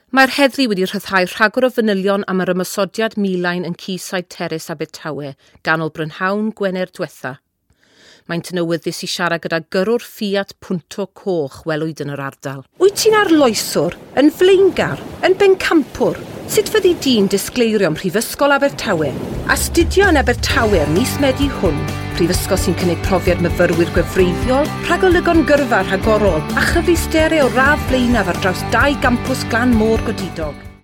Mae'r heddlu wedi rhyddhau rhagor o fanylion am yr ymosodiad milain yn Quayside Terrace Abertawe ganol brynhawn Gwener diwetha. Maent yn awyddus i siarad gyda gyrrwr Fiat Punto coch welwyd yn yr ardal. Wyt ti'n arloeswr, yn flaengar, yn bencampwr? Sut fyddi di'n disgleirio ym Mhrifysgol Abertawe? Astudio yn Abertawe ym mis Medi hwn, prifysgol sy'n cynnig profiad myfyrwyr gwefreiddiol, rhagolygon gyrfa rhagorol a chyfleusterau o'r radd flaenaf ar draws dau gampws glan môr godidog.